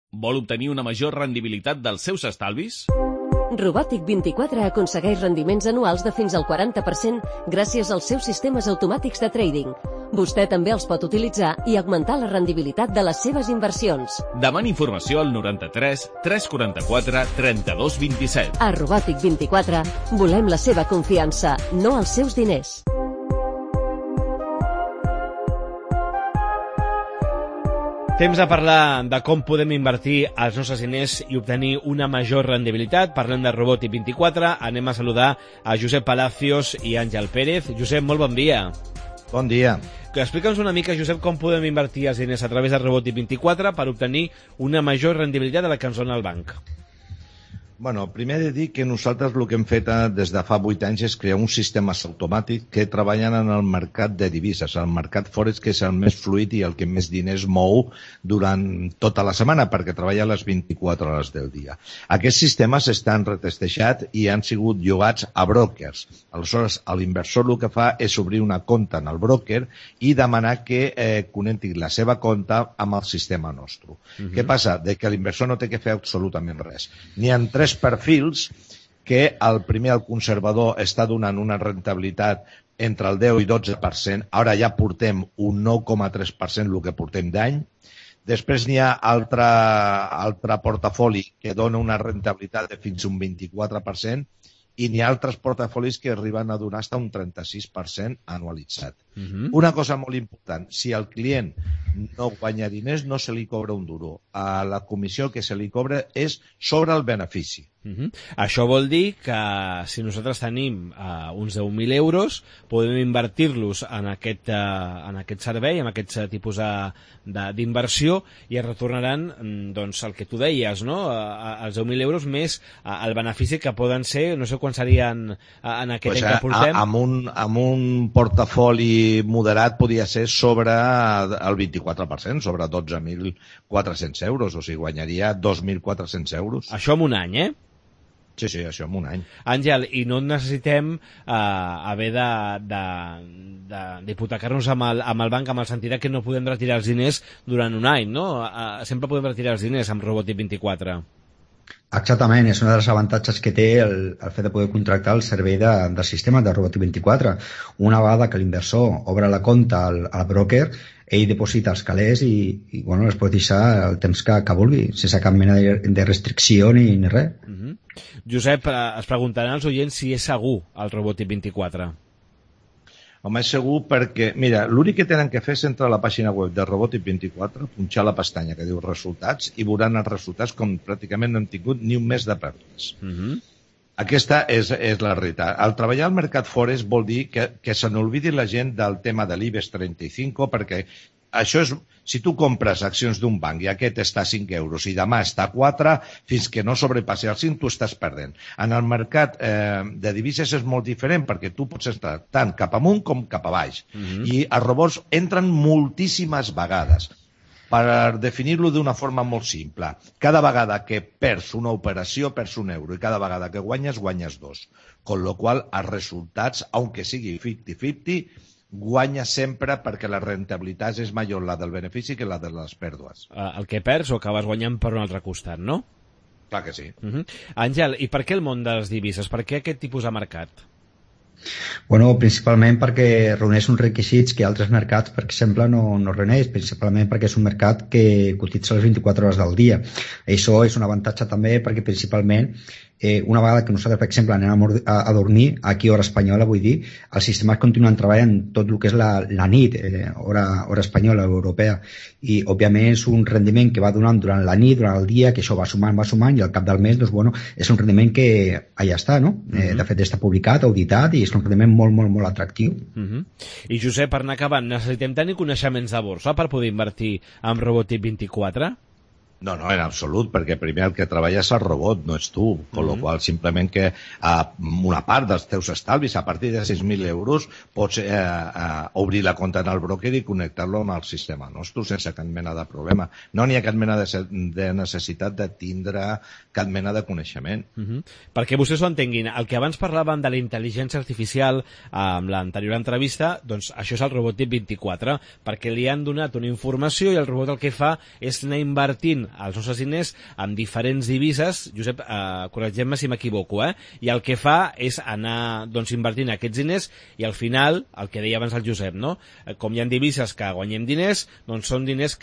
Vol obtenir una major rendibilitat dels seus estalvis? Robotic24 aconsegueix rendiments anuals de fins al 40% gràcies als seus sistemes automàtics de trading. Vostè també els pot utilitzar i augmentar la rendibilitat de les seves inversions. Demani informació al 93 344 32 27. A Robotic24 volem la seva confiança, no els seus diners. Temps de parlar de com podem invertir els nostres diners i obtenir una major rendibilitat. Parlem de Robotic24. Anem a saludar a Josep Palacios i Àngel Pérez. Josep, molt bon dia. Bon dia. Explica'ns una mica, Josep, com podem invertir els diners a través de Robotic24 per obtenir una major rendibilitat de la que ens dona el banc. Bueno, primer he de dir que nosaltres el que hem fet des de fa 8 anys és crear un sistema automàtic que treballen en el mercat de divises, el mercat forex, que és el més fluid i el que més diners mou durant tota la setmana, perquè treballa a les 24 hores del dia. Aquests sistemes estan retestejats i han sigut llogats a brokers. Aleshores, l'inversor el que fa és obrir una compta en el broker i demanar que connecti la seva compta amb el sistema nostre. Què passa? Que l'inversor no té que fer absolutament res. N'hi ha 3 perfils que el primer, el conservador, està donant una rentabilitat entre el 10 i 12%. Ara ja portem un 9,3% el que portem d'any. Després n'hi ha altre portafoli que dona una rentabilitat de fins a un 24% i n'hi ha altres portafolis que arriben a donar fins a un 36% anualitzat. Una cosa molt important, si el client no guanya diners, no se li cobra un duro. La comissió que se li cobra és sobre el benefici. Això vol dir que si nosaltres tenim uns 10.000 euros, podem invertir-los en aquest servei, en aquest tipus d'inversió, i es retornaran doncs, el que tu deies, no? Els 10.000 euros més el benefici que poden ser, no sé quan serien en aquest any que portem. Amb un portafoli moderat podria ser sobre el 24%, sobre 12.400 euros, o sigui, guanyaria 2.400 euros. Això en un any, eh? Sí, això en un any. Àngel, i no necessitem haver d'hipotecar-nos amb el banc, amb el sentit que no podem retirar els diners durant un any, no? Sempre podem retirar els diners amb Robotic24. Exactament, és un dels avantatges que té el fet de poder contractar el servei del sistema de Robotic24. Una vegada que l'inversor obre la compta al broker, ell deposita els calés i bueno, els pot deixar el temps que vulgui, sense cap mena de restricció ni res. Josep, es preguntaran als oients si és segur el Robotic24. Home, és segur perquè, mira, l'únic que tenen que fer és entrar a la pàgina web de Robotic24, punxar la pestanya que diu resultats i veuran els resultats com pràcticament no hem tingut ni un mes de pèrdues. Aquesta és la realitat. Al treballar al mercat forex vol dir que se n'olvidi la gent del tema de l'IBEX 35, perquè això és, si tu compres accions d'un banc i aquest està a 5 euros i demà està a 4, fins que no sobrepassi el 5 tu estàs perdent. En el mercat de divises és molt diferent perquè tu pots estar tant cap amunt com cap a baix. I els robots entren moltíssimes vegades. Per definir-lo d'una forma molt simple, cada vegada que perds una operació perds un euro i cada vegada que guanyes, guanyes 2. Con lo qual, els resultats, aunque sigui 50-50, guanya sempre perquè la rentabilitat és major la del benefici que la de les pèrdues. El que perds o acabes guanyant per un altre costat, no? Clar que sí. Àngel, i per què el món de les divises? Per què aquest tipus de mercat? Bueno, principalment perquè reuneix uns requisits que altres mercats, per exemple, no reuneix, principalment perquè és un mercat que cotitza les 24 hores del dia. Això és un avantatge també perquè principalment una vegada que nosaltres, per exemple, anem a dormir, aquí hora espanyola, vull dir, els sistemes continuen treballant tot el que és la nit, hora espanyola, europea, i òbviament és un rendiment que va donant durant la nit, durant el dia, que això va sumant, i al cap del mes, doncs, bueno, és un rendiment que allà està, no? De fet, està publicat, auditat, i és un rendiment molt, molt, molt atractiu. I Josep, per anar acabant, necessitem tenir coneixements de borsa per poder invertir en Robotic24? No, en absolut, perquè primer el que treballa és el robot, no és tu, con lo qual simplement que una part dels teus estalvis, a partir de 6.000 euros, pots obrir la compta en el broker i connectar-lo amb el sistema nostre sense cap mena de problema. No n'hi ha cap mena de necessitat de tindre cap mena de coneixement. Perquè vostès ho entenguin, el que abans parlaven de la intel·ligència artificial amb l'anterior entrevista, doncs això és el Robotic24, perquè li han donat una informació i el robot el que fa és anar invertint els nostres diners amb diferents divises, Josep, corregem-me si m'equivoco, i el que fa és anar doncs, invertint aquests diners i al final, el que deia abans el Josep, no? Com hi ha divises que guanyem diners, doncs són diners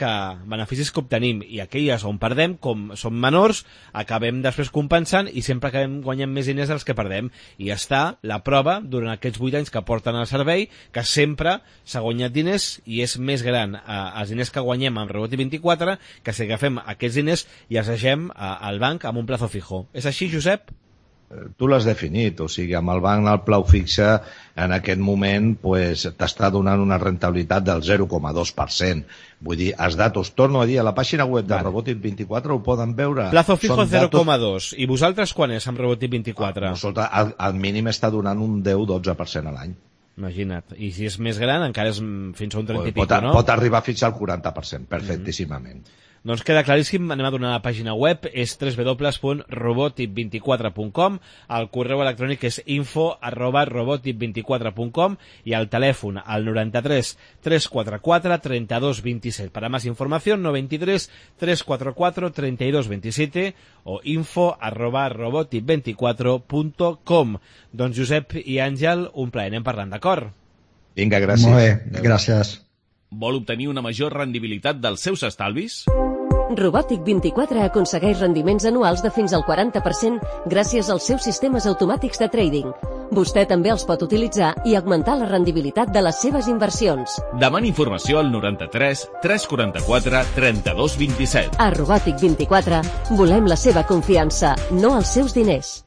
beneficis que obtenim, i aquelles on perdem, com són menors, acabem després compensant i sempre acabem guanyant més diners dels que perdem. I està la prova durant aquests 8 anys que porten al servei, que sempre s'ha guanyat diners i és més gran els diners que guanyem amb Roboti24 que si agafem aquests diners i els deixem al banc amb un plazo fijo. És així, Josep? Tu l'has definit, o sigui, amb el banc al plau fixe en aquest moment pues, t'està donant una rentabilitat del 0,2%. Vull dir, els datos, torno a dir, a la pàgina web de Robotic24 ho poden veure. Plazo fijo 0,2. I vosaltres quan és amb Robotic24? Al mínim està donant un 10-12% a l'any. Imagina't. I si és més gran, encara és fins a un 30 i pico, no? Pot arribar fins al 40%, perfectíssimament. Doncs queda claríssim, anem a donar la pàgina web, és www.robotic24.com, el correu electrònic és info@robotic24.com i el telèfon al 93 344 32 27. Per a més informació, 93 344 32 27 o info@robotic24.com. Doncs Josep i Àngel, un plaer, anem parlant, d'acord? Vinga, gràcies. Molt bé, gràcies. Vol obtenir una major rendibilitat dels seus estalvis? Robotic24 aconsegueix rendiments anuals de fins al 40% gràcies als seus sistemes automàtics de trading. Vostè també els pot utilitzar i augmentar la rendibilitat de les seves inversions. Demani informació al 93 344 32 27. A Robotic24 volem la seva confiança, no els seus diners.